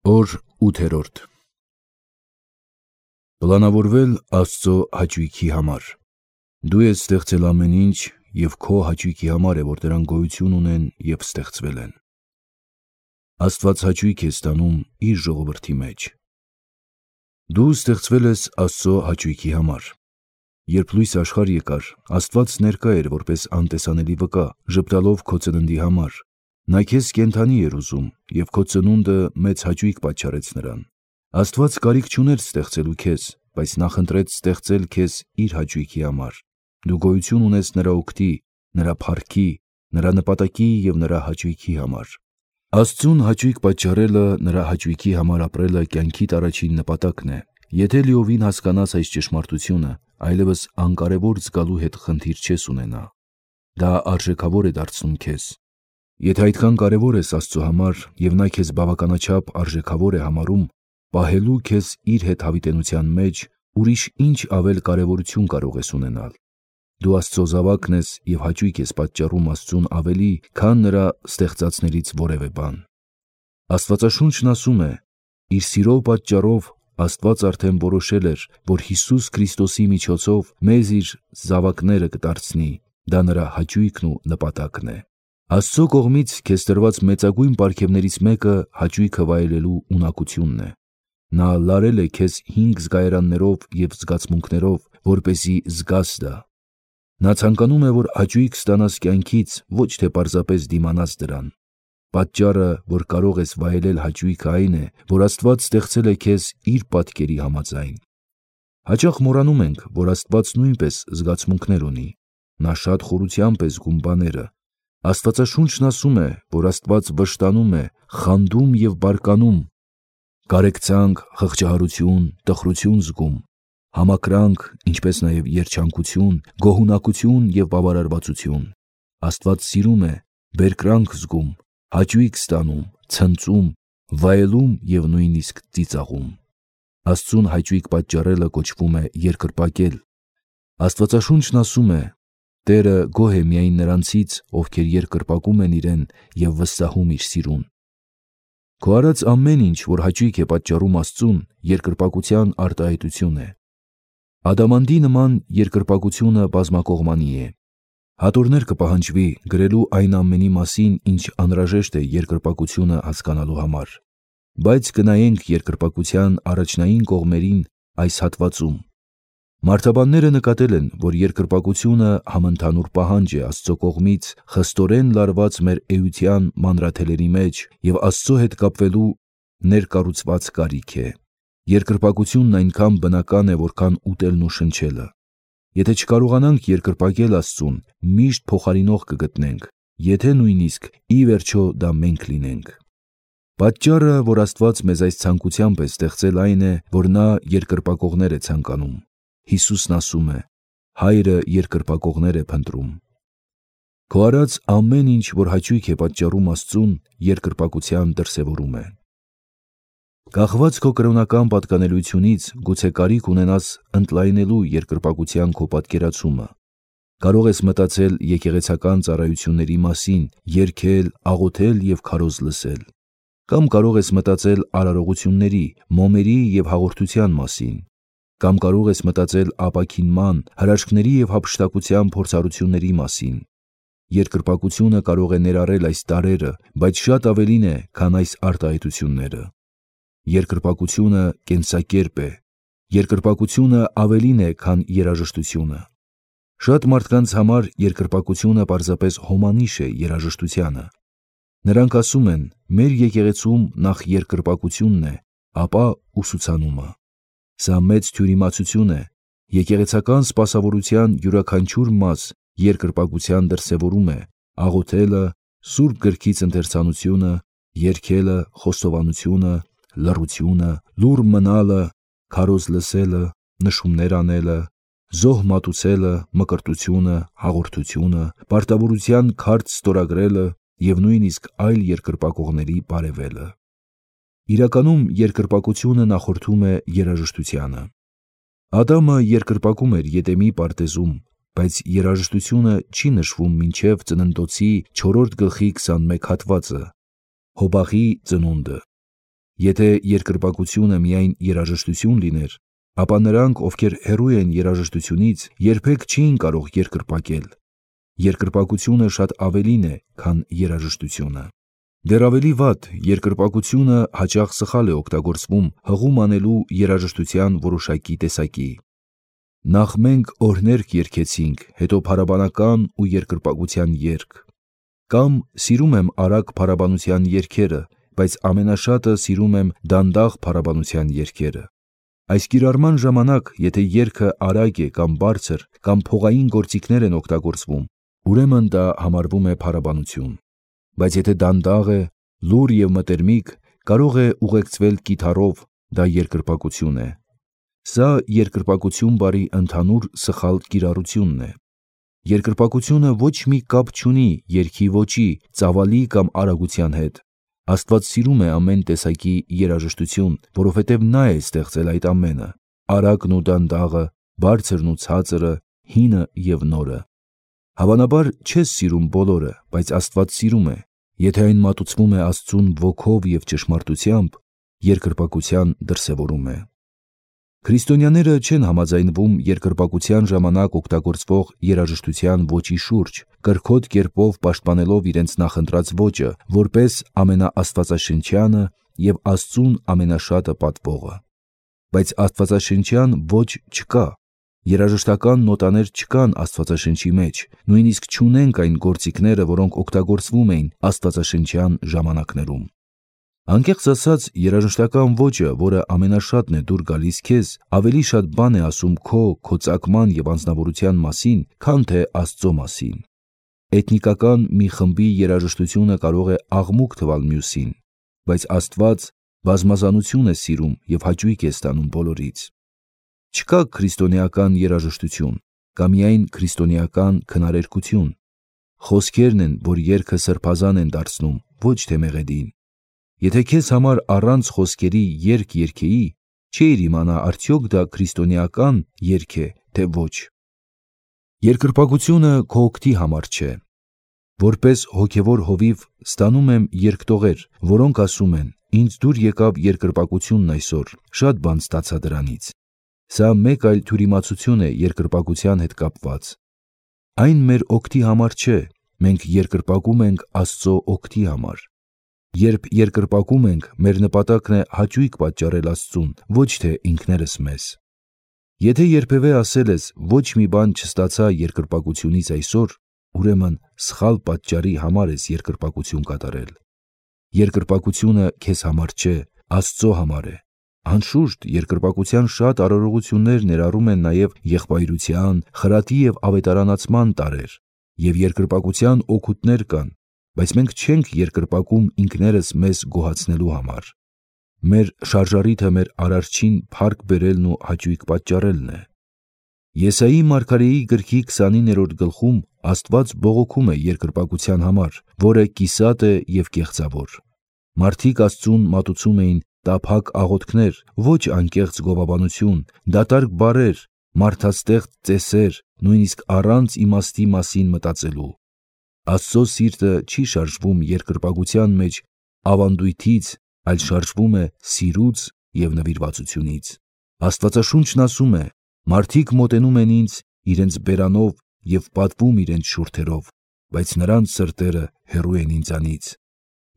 Օր 8-րդ Պլանավորվել Աստծո հաճույքի համար։ Դու ես ստեղծել ամեն ինչ և քո հաճույքի համար է, որ դրանք գոյություն ունեն և ստեղծվել են։ Աստված հաճույք է ստանում իր ժողովրդի մեջ։ Դու ստեղծվել ես Աստծո հաճույքի համար։ Երբ լույս աշխարհ եկար, Աստված ներկա էր որպես անտեսանելի վկա, ժպտալով քո ծննդի համար։ Նա քեզ կենդանի էր ուզում, և քո ծնունդը մեծ հաճույք պատճառեց նրան։ Աստված կարիք չուներ ստեղծելու քեզ, բայց նախընտրեց ստեղծել քեզ իր հաճույքի համար։ Դու գոյություն ունես նրա օգտի, նրա փառքի, նրա նպատակի և նրա հաճույքի համար։ Աստծուն հաճույք պատճառելը, նրա հաճույքի համար ապրելը կյանքիդ առաջին նպատակն է։ Եթե լիովին հասկանաս այս ճշմարտությունը, այլևս անկարևոր զգալու հետ խնդիր չես ունենա։ Դա արժեքավոր է դարձնում քեզ։ Եթե այդքան կարևոր ես Աստծո համար և նա քեզ բավականաչափ արժեքավոր է համարում, պահելու քեզ իր հետ հավիտենության մեջ, ուրիշ ինչ ավել կարևորություն կարող ես ունենալ։ Դու Աստծո զավակն ես և հաճույք ես պատճառում Աստծուն ավելի, քան նրա ստեղծածներից որևէ բան։ Աստվածաշունչն ասում է. «Իր սիրո պատճառով Աստված արդեն որոշել էր, որ Հիսուս Քրիստոսի միջոցով մեզ իր զավակները կդարձնի»։ Դա նրա հաճույքն ու նպատակն է։ Աստծո կողմից քեզ տրված մեծագույն պարգևներից մեկը հաճույքը վայելելու ունակությունն է։ Նա լարել է քեզ 5 զգայարաններով և զգացմունքներով, որպեսզի զգաս դա։ Նա ցանկանում է, որ հաճույք ստանաս կյանքից, ոչ թե պարզապես դիմանաս դրան։ Պատճառը, որ կարող ես վայելել հաճույքը, այն է, որ Աստված ստեղծել է քեզ իր պատկերի համաձայն։ Հաճախ մոռանում ենք, որ Աստված նույնպես զգացմունքներ ունի։ Նա շատ խորությամբ է զգում բաները։ Աստվածաշունչն ասում է, որ Աստված վշտանում է, խանդում և բարկանում, կարեկցանք, խղճահարություն, տխրություն զգում, համակրանք, ինչպես նաև երջանկություն, գոհունակություն և բավարարվածություն։ Աստված սիրում է, բերկրանք զգում, հաճույք ստանում, ցնծում, վայելում և նույնիսկ ծիծաղում։ Աստծուն հաճույք պատճառելը կոչվում է երկրպագել։ Աստվածաշունչն ասում է. «Տերը գոհ է միայն նրանցից, ովքեր երկրպագում են իրեն և վստահում իր սիրուն»։ Քո արած ամեն ինչ, որ հաճույք է պատճառում Աստծուն, երկրպագության արտահայտություն է։ Ադամանդի նման երկրպագությունը բազմակողմանի է։ Հատորներ կպահանջվի գրելու այն ամենի մասին, ինչ անհրաժեշտ է երկրպագությունը հասկանալու համար։ Բայց կնայենք երկրպագության առաջնային կողմերին այս հատվածում։ Մարդաբանները նկատել են, որ երկրպագությունը համընդհանուր պահանջ է Աստծո կողմից խստորեն լարված մեր էության մանրաթելերի մեջ և Աստծո հետ կապվելու ներկառուցված կարիք է։ Երկրպագությունն այնքան բնական է, որքան ուտելն ու շնչելը։ Եթե չկարողանանք երկրպագել Աստծուն, միշտ փոխարինող կգտնենք, եթե նույնիսկ ի վերջո դա մենք լինենք։ Պատճառը, որ Աստված մեզ այս ցանկությամբ է ստեղծել, այն է, որ նա երկրպագողներ է ցանկանում։ Հիսուսն ասում է. «Հայրը երկրպագողներ է փնտրում»։ Քո արած ամեն ինչ, որ հաճույք է պատճառում Աստծուն, երկրպագության դրսևորում է։ Կախված քո կրոնական պատկանելությունից, գուցե կարիք ունենաս ընդլայնելու երկրպագության քո պատկերացումը։ Կարող ես մտածել եկեղեցական ծառայությունների մասին, երգել, աղոթել և քարոզ լսել։ Կամ կարող ես մտածել արարողությունների, մոմերի և հաղորդության մասին։ Կամ կարող ես մտածել ապաքինման, հրաշքների և հափշտակության փորձառությունների մասին։ Երկրպագությունը կարող է ներառել այս տարրերը, բայց շատ ավելին է, քան այս արտահայտությունները։ Երկրպագությունը կենսակերպ է։ Երկրպագությունը ավելին է, քան երաժշտությունը։ Շատ մարդկանց համար երկրպագությունը պարզապես հոմանիշ է երաժշտությանը։ Նրանք ասում են. «Մեր եկեղեցում նախ երկրպագությունն է, ապա ուսուցանումը»։ Սա մեծ թյուրիմացություն է։ Եկեղեցական սպասավորության յուրաքանչյուր մաս երկրպագության դրսևորում է՝ աղոթելը, Սուրբ Գրքից ընթերցանությունը, երգելը, խոստովանությունը, լռությունը, լուռ մնալը, քարոզ լսելը, նշումներ անելը, զոհ մատուցելը, մկրտությունը, հաղորդությունը, պարտավորության քարտ ստորագրելը և նույնիսկ այլ երկրպագողների բարևելը։ Իրականում երկրպագությունը նախորդում է երաժշտությանը։ Ադամը երկրպագում էր Եդեմի պարտեզում, բայց երաժշտությունը չի նշվում մինչև Ծննդոցի 4 գլխի 21 հատվածը՝ Հոբաղի ծնունդը։ Եթե երկրպագությունը միայն երաժշտություն լիներ, ապա նրանք, ովքեր հեռու են երաժշտությունից, երբեք չէին կարող երկրպագել։ Երկրպագությունը շատ ավելին է, քան երաժշտությունը։ Դեռ ավելի վատ, երկրպագությունը հաճախ սխալ է օգտագործվում հղում անելու երաժշտության որոշակի տեսակի։ Նախ մենք օրհներգ երգեցինք, հետո փարաբանական ու երկրպագության երգ։ Կամ սիրում եմ արագ փարաբանության երգերը, բայց ամենաշատը սիրում եմ դանդաղ փարաբանության երգերը։ Այս կիրառման ժամանակ, եթե երգը արագ է կամ բարձր, կամ փողային գործիքներ են օգտագործվում, ուրեմն դա համարվում է փարաբանություն։ Բայց եթե դանդաղ է, լուռ և մտերմիկ, կարող է ուղեկցվել կիթառով, դա երկրպագություն է։ Սա երկրպագություն բառի ընդհանուր սխալ կիրառությունն է։ Երկրպագությունը ոչ մի կապ չունի երգի ոճի, ծավալի կամ արագության հետ։ Աստված սիրում է ամեն տեսակի երաժշտություն, որովհետև նա է ստեղծել այդ ամենը՝ արագն ու դանդաղը, բարձրն ու ցածրը, հինը և նորը։ Հավանաբար չես սիրում բոլորը, բայց Աստված սիրում է։ Եթե այն մատուցվում է Աստծուն ոգով և ճշմարտությամբ, երկրպագության դրսևորում է։ Քրիստոնյաները չեն համաձայնվում երկրպագության ժամանակ օգտագործվող երաժշտության ոճի շուրջ, կրքոտ կերպով պաշտպանելով իրենց նախընտրած ոճը, որպես ամենաաստվածաշնչյանը և Աստծուն ամենաշատը պատվողը։ Բայց աստվածաշնչյան ոճ չկա։ Երաժշտական նոտաներ չկան Աստվածաշնչի մեջ, նույնիսկ չունենք այն գործիքները, որոնք օգտագործվում էին աստվածաշնչյան ժամանակներում։ Անկեղծ ասած, երաժշտական ոճը, որը ամենաշատն է դուր գալիս քեզ, ավելի շատ բան է ասում քո ծագման և անձնավորության մասին, քան թե Աստծո մասին։ Էթնիկական մի խմբի երաժշտությունը կարող է աղմուկ թվալ մյուսին, բայց Աստված բազմազանություն է սիրում և հաճույք է ստանում բոլորից։ Չկա քրիստոնեական երաժշտություն, կա միայն քրիստոնեական քնարերգություն։ Խոսքերն են, որ երգը սրբազան են դարձնում, ոչ թե մեղեդին։ Եթե քեզ համար առանց խոսքերի երգ երգեի, չէիր իմանա արդյոք դա քրիստոնեական երգ է, թե ոչ։ Երկրպագությունը քո օգտի համար չէ։ Որպես հոգևոր հովիվ ստանում եմ երգտողեր, որոնք ասում են. «Ինձ դուր եկավ երկրպագությունն այսօր, շատ բան ստացա դրանից»։ Սա մեկ այլ թյուրիմացություն է երկրպագության հետ կապված։ Այն մեր օգտի համար չէ, մենք երկրպագում ենք Աստծո օգտի համար։ Երբ երկրպագում ենք, մեր նպատակն է հաճույք պատճառել Աստծուն, ոչ թե ինքներս մեզ։ Եթե երբևէ ասել ես ոչ մի բան չստացա երկրպագությունից այսօր, ուրեմն սխալ պատճառի համար ես երկրպագություն կատարել։ Երկրպագությունը քեզ համար չէ, Աստծո համար է։ Անշուշտ, երկրպագության շատ արարողություններ ներառում են նաև եղբայրության, խրատի և ավետարանացման տարրեր, և երկրպագության օգուտներ կան, բայց մենք չենք երկրպագում ինքներս մեզ գոհացնելու համար։ Մեր շարժառիթը մեր Արարչին փառք բերելն ու հաճույք պատճառելն է։ Եսայի մարգարեի գրքի 29-րդ գլխում Աստված բողոքում է երկրպագության համար, որը կիսատ է և կեղծավոր։ Մարդիկ Աստծուն մատուցում էին տափակ աղոթքներ, ոչ անկեղծ գովաբանություն, դատարկ բառեր, մարդաստեղծ ծեսեր, նույնիսկ առանց իմաստի մասին մտածելու։ Աստծո սիրտը չի շարժվում երկրպագության մեջ ավանդույթից, այլ շարժվում է սիրուց և նվիրվածությունից։ Աստվածաշունչն ասում է. «Մարդիկ մոտենում են ինձ իրենց բերանով և պատվում իրենց շուրթերով, բայց նրանց սրտերը հեռու են ինձանից»։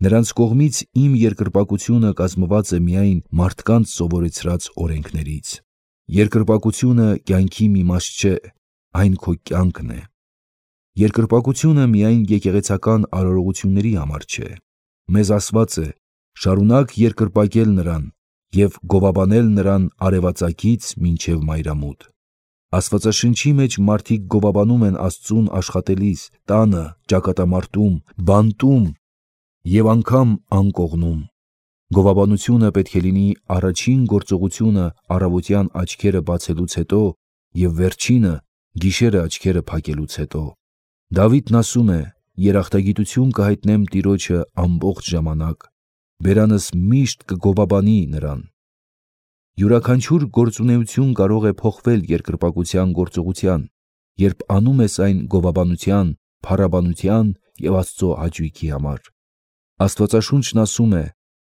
Նրանց կողմից իմ երկրպագությունը կազմված է միայն մարդկանց սովորեցրած օրենքներից։ Երկրպագությունը կյանքի մի մաս չէ, այն քո կյանքն է։ Երկրպագությունը միայն եկեղեցական արարողությունների համար չէ։ Մեզ ասված է. «Շարունակ երկրպագել նրան և գովաբանել նրան արևածագից մինչև մայրամուտ»։ Աստվածաշնչի մեջ մարդիկ գովաբանում են Աստծուն աշխատելիս, տանը, ճակատամարտում, բանտում և անգամ անկողնում։ Գովաբանությունը պետք է լինի առաջին գործողությունը առավոտյան աչքերը բացելուց հետո և վերջինը գիշերը աչքերը փակելուց հետո։ Դավիթն ասում է. «Երախտագիտություն կհայտնեմ Տիրոջը ամբողջ ժամանակ, բերանս միշտ կգովաբանի նրան»։ Յուրաքանչյուր գործունեություն կարող է փոխվել երկրպագության գործողության, երբ անում ես այն գովաբանության, փառաբանության և Աստծո հաճույքի համար։ Աստվածաշունչն ասում է.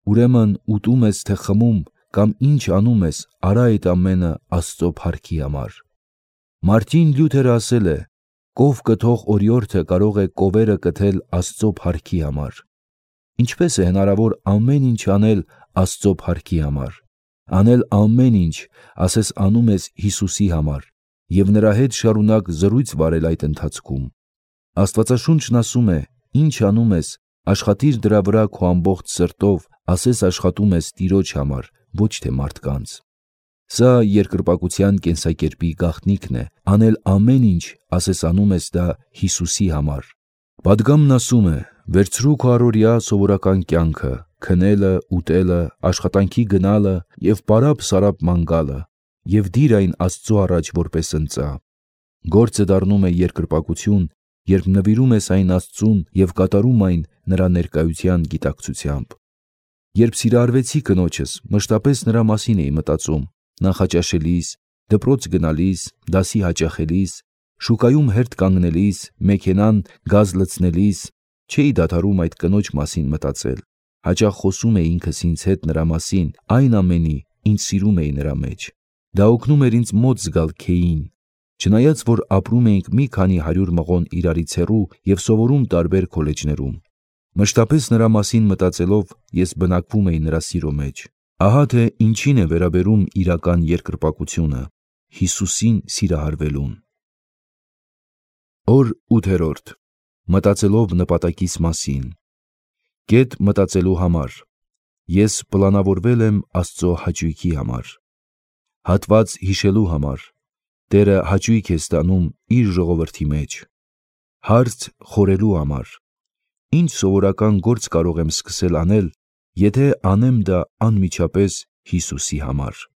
Ուրեմն ուտում ես, թե խմում, կամ ինչ անում ես, արա այդ ամենը Աստծո փառքի համար։ Մարտին Լյութերը ասել է. «Կով կթող օրիորդը կարող է կովերը կթել Աստծո փառքի համար»։ Ինչպես է հնարավոր ամեն ինչ անել Աստծո փառքի համար։ Անել ամեն ինչ, ասես անում ես Հիսուսի համար, և նրա հետ շարունակ զրույց վարել այդ ընթացքում։ Աստվածաշունչն ասում է. «Ինչ անում ես, աշխատիր դրա վրա քո ամբողջ սրտով, ասես աշխատում ես Տիրոջ համար, ոչ թե մարդկանց»։ Սա երկրպագության կենսակերպի գաղտնիքն է, անել ամեն ինչ, ասես անում ես դա Հիսուսի համար։ Պատգամն ասում է. «Վերցրու քո առօրյա սովորական կյանքը, քնելը, ուտելը, աշխատանքի գնալը և պարապ-սարապ ման գալը, և դիր այն Աստծո առաջ որպես ընծա»։ Գործը դառնում է երկրպագություն, երբ նվիրում ես այն Աստծուն և կատարում այն նրա ներկայության գիտակցությամբ։ Երբ սիրահարվեցի կնոջս, մշտապես նրա մասին էի մտածում, նախաճաշելիս, դպրոց գնալիս, դասի հաճախելիս, շուկայում հերթ կանգնելիս, մեքենան գազ լցնելիս, չէի դադարում այդ կնոջ մասին մտածել։ Հաճախ խոսում էի ինքս ինձ հետ նրա մասին, այն ամենի, ինչ սիրում էի նրա մեջ։ Դա օգնում էր ինձ մոտ զգալ Քեյին։ Չնայած որ ապրում էինք մի քանի 100 մղոն իրարից հեռու և սովորում տարբեր քոլեջներում, մշտապես նրա մասին մտածելով ես բնակվում էի նրա սիրո մեջ։ Ահա թե ինչին է վերաբերում իրական երկրպագությունը՝ Հիսուսին սիրահարվելուն։ Օր 8. Մտածելով նպատակիս մասին։ Կետ մտածելու համար։ Ես պլանավորվել եմ Աստծո հաճույքի համար։ Հատված հիշելու համար։ Տերը հաճույք է ստանում իր ժողովրդի մեջ։ Հարց խորելու համար։ Ինչ սովորական գործ կարող եմ սկսել անել, եթե անեմ դա անմիջապես Հիսուսի համար։